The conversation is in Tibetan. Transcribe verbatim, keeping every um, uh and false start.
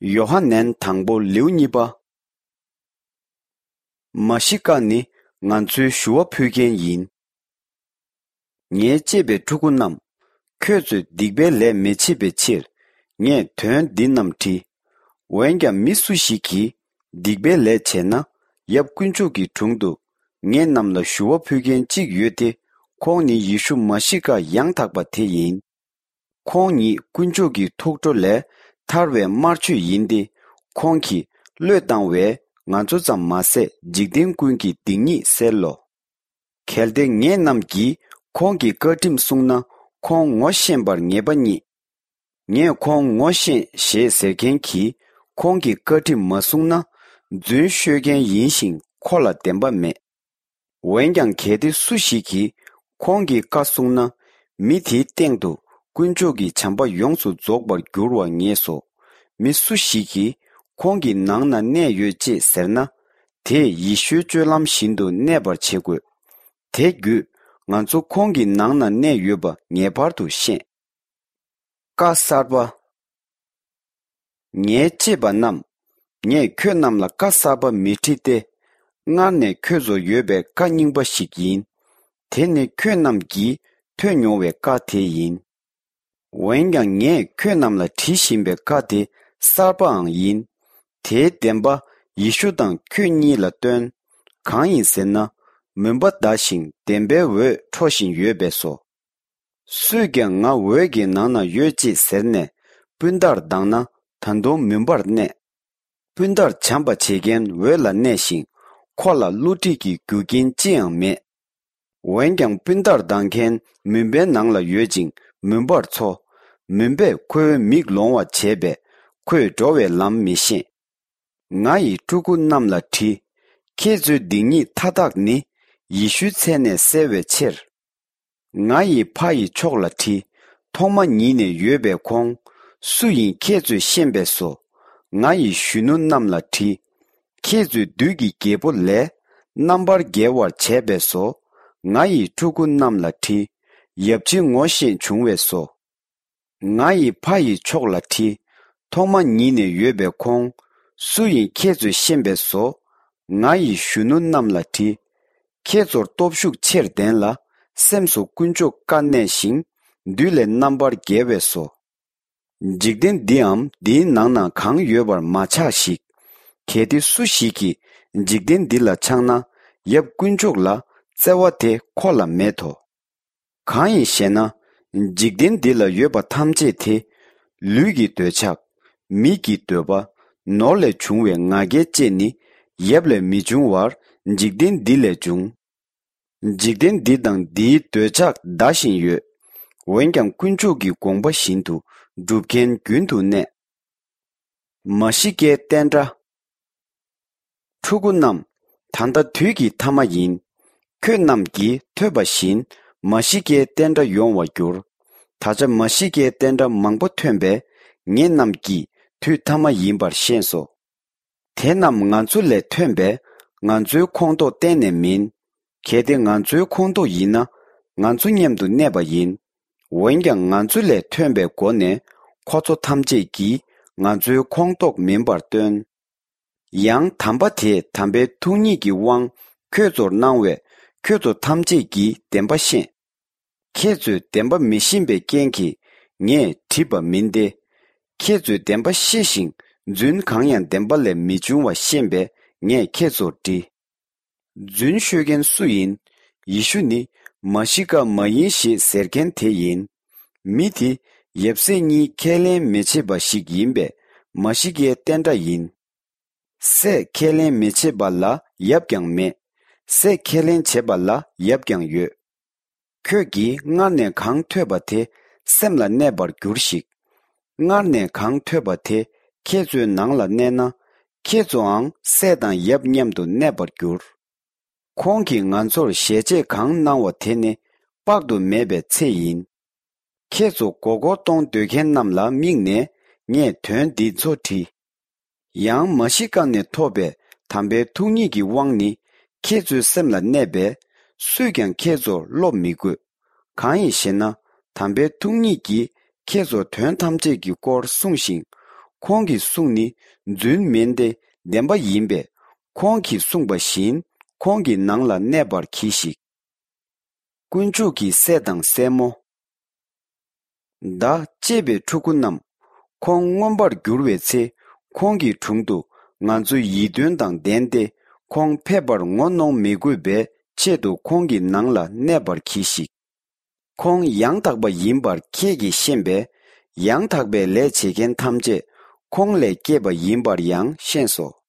ཡོ་ཧ་ནན་དང་པོ་ལེའུ་གཉིས་པ། མ་ཤི་ཀ་ནི་ང་ཚོའི་ཞུ་བ་ཕུལ་མཁན་ཡིན། ངའི་གཅེས་པའི་ཕྲུ་གུ་རྣམས། ཁྱོད་ཚོས་སྡིག་པའི་ལས་མི་བྱེད་པའི་ཕྱིར། ངས་དོན་འདི་རྣམས་བྲིས། འོན་ཀྱང་མི་སུ་ཞིག་གིས་སྡིག་པའི་ལས་བྱས་ན། ཡབ་དཀོན་མཆོག་གི་དྲུང་དུ་ངེད་རྣམས་ལ་ཞུ་བ་ཕུལ་མཁན་གཅིག་ཡོད་དེ། ཁོང་ནི་ཡེ་ཤུ་མ་ཤི་ཀ་ཡང་དག་པ་དེ་ཡིན། ཁོང་ཉིད་དཀོན་མཆོག་གི་ཐུགས་ཁྲོ་ལས་ཐར་བའི་དམར་མཆོད་ཡིན་ཏེ། ཁོང་གིས་བློས་བཏང་བས་ང་ཚོ་ཙམ་མ་ཟད་འཇིག་རྟེན་ཀུན་གྱི་སྡིག་ཉེས་སེལ་ལོ། གལ་ཏེ་ངེད་རྣམས་ཀྱིས་ཁོང་གི་བཀའ་ཁྲིམས་བསྲུངས་ན། ཁོང་ངོ་ཤེས་པར་ངེས་པ་རྙེད། ངས་ཁོང་ངོ་ཤེས་ཞེས་ཟེར་མཁན་གྱིས་ཁོང་གི་བཀའ་ཁྲིམས་མ་བསྲུངས་ན། རྫུན་ཤོད་མཁན་ཡིན་ཞིང་ཁོ་ལ་བདེན་པ་མེད། འོན་ཀྱང་གལ་ཏེ་སུ་ཞིག་གིས་ཁོང་གི་བཀའ་བསྲུངས་ན། མི་དེའི་སྟེང་དུ་དཀོན་མཆོག་གི་བྱམས་པ་ཡོངས་སུ་རྫོགས་པར་འགྱུར་བར་ངེས་སོ། མི་སུ་ཞིག་གིས་ཁོང་གི་ནང་ན་གནས་ཡོད་ཅེས་ཟེར་ན། དེས་ཡེ་ཤུའི་སྤྱོད་ལམ་བཞིན་དུ་གནས་པར་བྱེད་དགོས། དེ་བརྒྱུད་ང་ཚོ་ཁོང་གི་ནང་ན་གནས་ཡོད་པ་ངེས་པར་དུ་ཤེས། བཀའ་གསར་པ། ངའི་གཅེས་པ་རྣམས། ངས་ཁྱོད་རྣམས་ལ་བཀའ་གསར་པ་མི་བྲི་སྟེ། སྔར་ནས་ཁྱོད་ཚོར་ཡོད་པའི་བཀའ་རྙིང་པ་ཞིག་ཡིན། དེ་ནི་ཁྱོད་རྣམས་ཀྱིས་ཐོས་མྱོང་བའི་བཀའ་དེ་ཡིན། འོན་ཀྱང་ངས་ཁྱོད་རྣམས་ལ་བྲི་བཞིན་པའི་བཀའ་དེ་གསར་པའང་ཡིན། དེའི་བདེན་པ་ཡེ་ཤུ་དང་ཁྱོད་གཉིས་ལ་སྟོན། གང་ཡིན་ཟེར་ན། མུན་པ་འདའ་ཞིང་བདེན་པའི་འོད་འཕྲོ་བཞིན་ཡོད་པས་སོ། སུས་ཀྱང་ང་འོད་ཀྱི་ནང་ན་ཡོད་ཅེས་ཟེར་ནས་སྤུན་ཟླར་སྡང་ན། ད་དུང་མུན་པར་གནས། སྤུན་ཟླར་བྱམས་པ་བྱེད་མཁན་འོད་ལ་གནས་ཤིང་། ཁོ་ལ་བསླུ་བྲིད་ཀྱི་རྒྱུ་རྐྱེན་ཅི་ཡང་མེད། འོན་ཀྱང་སྤུན་ཟླར་སྡང་མཁན་མུན་པའི་ནང་ལ་ཡོད་ཅིང་མུན་པར་འཚོ། མུན་པས་ཁོའི་མིག་ལོང་བར་བྱས་པས་ཁོས་འགྲོ་བའི་ལམ་མི་ཤེས། ང་ཡི་ཕྲུ་གུ་རྣམས་ལ་བྲིས། ཁྱེད་ཚོའི་སྡིག་ཉེས་མཐའ་དག་ནི་ཡེ་ཤུའི་མཚན་ནས་བསལ་བའི་ཕྱིར། ང་ཡི་ཕ་ཡི་མཆོག་ལ་བྲིས། ཐོག་མ་ཉིད་ནས་ཡོད་པའི་ཁོང་སུ་ཡིན་ཁྱེད་ཚོས་ཤེས་པས་སོ། ང་ཡི་གཞོན་ནུ་རྣམས་ལ་བྲིས། ཁྱེད་ཚོའི་བདུད་ཀྱི་རྒྱལ་པོ་ལས་རྣམ་པར་རྒྱལ་བར་བྱས་པས་སོ། ང་ཡི་ཕྲུ་གུ་རྣམས་ལ་བྲིས། ཡབ་ཕྱི་ངོ་ཤེས་བྱུང་བས་སོ། ང་ཡི་ཕ་ཡི་མཆོག་ལ་བྲིས། ཐོག་མ་ཉིད་ནས་ཡོད་པའི་ཁོང་སུ་ཡིན་ཁྱེད་ཚོས་ཤེས་པས་སོ། ང་ཡི་གཞོན་ནུ་རྣམས་ལ་བྲིས། ཁྱེད་ཚོར་སྟོབས་ཤུགས་ཆེར་ལྡན་ལ། སེམས་སུ་དཀོན་མཆོག་བཀའ་གནས་ཤིང་། བདུད་ལས་རྣམ་པར་རྒྱལ་བས་སོ། འཇིག་རྟེན་འདིའམ་འདིའི་ནང་ན་གང་ཡོད་པར་མ་ཆགས་ཤིག། གལ་ཏེ་སུ་ཞིག་གིས་འཇིག་རྟེན་འདི་ལ་ཆགས་ན། ཡབ་དཀོན་མཆོག་ལ་བརྩེ་བ་དེ་ཁོ་ལ་མེད་དོ། གང་ཡིན་ཞེ་ན། འཇིག་རྟེན་འདི་ལ་ཡོད་པ་ཐམས་ཅད་དེ། ལུས་ཀྱི་འདོད་ཆགས། མིག་གི་འདོད་པ། ནོར་ལས་བྱུང་བའི་ང་རྒྱལ་བཅས་ནི། ཡབ་ལས་མི་འབྱུང་བར་འཇིག་རྟེན་འདི་ལས་འབྱུང་། འཇིག་རྟེན་འདི་དང་འདིའི་འདོད་ཆགས་འདའ་བཞིན་ཡོད། འོན་ཀྱང་དཀོན་མཆོག་གི་དགོངས་པ་བཞིན་དུ་སྒྲུབ་མཁན་རྒྱུན་དུ་གནས། མ་ཤི་ཀའི་བསྟན་དགྲ། ཕྲུ་གུ་རྣམས། ད་ལྟ་དུས་ཀྱི་ཐ་མ་ཡིན། ཁྱོད་རྣམས་ཀྱིས་ཐོས་པ་བཞིན་མ་ཤི་ཀའི་བསྟན་དགྲ་ཡོང་བར་འགྱུར། ད་ཆ་མ་ཤི་ཀའི་བསྟན་དགྲ་མང་པོ་ཐོན་པས། ངེད་རྣམས་ཀྱིས་དུས་ཐ་མ་ཡིན་པར་ཤེས་སོ། དེ་རྣམས་ང་ཚོ་ལས་ཐོན་པས། ང་ཚོའི་ཁོངས་གཏོགས་གཏན་ནས་མིན། གལ་ཏེ་ང་ཚོའི་ཁོངས་གཏོགས་ཡིན་ན། ང་ཚོ་མཉམ་དུ་གནས་པ་ཡིན། འོན་ཀྱང་ང་ཚོ་ལས་ཐོན་པའི་སྒོ་ནས་ཁོ་ཚོ་ཐམས་ཅད་ཀྱིས་ང་ཚོའི་ཁོངས་གཏོགས་མིན་པར་སྟོན། ཡང་དམ་པ་དེས་དམ་པའི་ཐུགས་ཉིད་ཀྱི་དབང་ཁྱོད་ཚོར་གནང་བས། ཁྱོད་ཚོ་ཐམས་ཅད་ཀྱིས་བདེན་པ་ཤེས། ཁྱེད་ཚོས་བདེན་པ་མི་ཤེས་པའི་རྐྱེན་གྱིས་ངས་བྲིས་པ་མིན་ཏེ། ཁྱེད་ཚོས་བདེན་པ་ཤེས་ཤིང་རྫུན་གང་ཡང་བདེན་པ་ལས་མི་འབྱུང་བ་ཤེས་པས་ངས་ཁྱེད་ཚོར་བྲིས། རྫུན་ཤོད་མཁན་སུ་ཡིན། ཡེ་ཤུ་ནི་མ་ཤི་ཀ་མ་ཡིན་ཞེས་ཟེར་མཁན་དེ་ཡིན། མི་དེ་ཡབ་སྲས་གཉིས་ཁས་ལེན་མི་བྱེད་པ་ཞིག་ཡིན་པས་མ་ཤི་ཀའི་བསྟན་དགྲ་ཡིན། སྲས་ཁས་ལེན་མི་བྱེད་པ་ལ་ཡབ་ཀྱང་མེད། སྲས་ཁས་ལེན་བྱེད་པ་ལ་ཡབ་ཀྱང་ཡོད། ཁྱོད་ཀྱིས་སྔར་ནས་གང་ཐོས་པ་དེ་སེམས་ལ་གནས་པར་གྱུར་ཞིག། སྔར་ནས་གང་ཐོས་པ་དེ་ཁྱེད་ཚོའི་ནང་ལ་གནས་ན། ཁྱེད་ཚོའང་སྲས་དང་ཡབ་མཉམ་དུ་གནས་པར་འགྱུར། ཁོང་གིས་ང་ཚོར་ཞལ་ཆད་གང་གནང་བ་དེ་ནི་དཔག་ཏུ་མེད་པའི་ཚེ་ཡིན། ཁྱེད་ཚོ་མགོ་སྐོར་གཏོང་འདོད་མཁན་རྣམས་ལ་དམིགས་ནས་ངས་དོན་འདི་ཚོ་བྲིས། ཡང་མ་ཤི་ཀ་ནས་ཐོབ་པའི་དམ་པའི་ཐུགས་ཉིད་ཀྱི་དབང་ནི་ཁྱེད་ཚོའི་སེམས་ལ་གནས་པས། སུས་ཀྱང་ཁྱེད་ཚོར་སློབ་མི་དགོས། གང་ཡིན་ཞེ་ན། དམ་པའི་ཐུགས་ཉིད་ཀྱིས་ཁྱེད་ཚོར་དོན་ཐམས་ཅད་ཀྱི་སྐོར་གསུངས་ཤིང་། ཁོང་གི་གསུང་ནི་རྫུན་མིན་ཏེ་བདེན་པ་ཡིན་པས། ཁོང་གིས་གསུངས་པ་བཞིན་ཁོང་གི་ནང་ལ་གནས་པར་གྱིས་ཤིག། དཀོན་མཆོག་གི་སྲས་དང་སྲས་མོ། བདག་གཅེས་པའི་ཕྲུ་གུ་རྣམས། ཁོང་མངོན་པར་འགྱུར་བའི་ཚེ། ཁོང་གི་དྲུང་དུ་ང་ཚོའི་ཡིད་རྟོན་དང་ལྡན་ཏེ། ཁོང་ཕེབས་པར་ངོ་གནོང་མི་དགོས་པའི་ཆེད་དུ་ཁོང་གི་ནང་ལ་གནས་པར་གྱིས་ཤིག། ཁོང་ཡང་དག་པ་ཡིན་པར་ཁྱེད་ཀྱིས་ཤེས་པས། ཡང་དག་པའི་ལས་བྱེད་མཁན་ཐམས་ཅད་ཁོང་ལས་སྐྱེས་པ་ཡིན་པར་ཡང་ཤེས་སོ།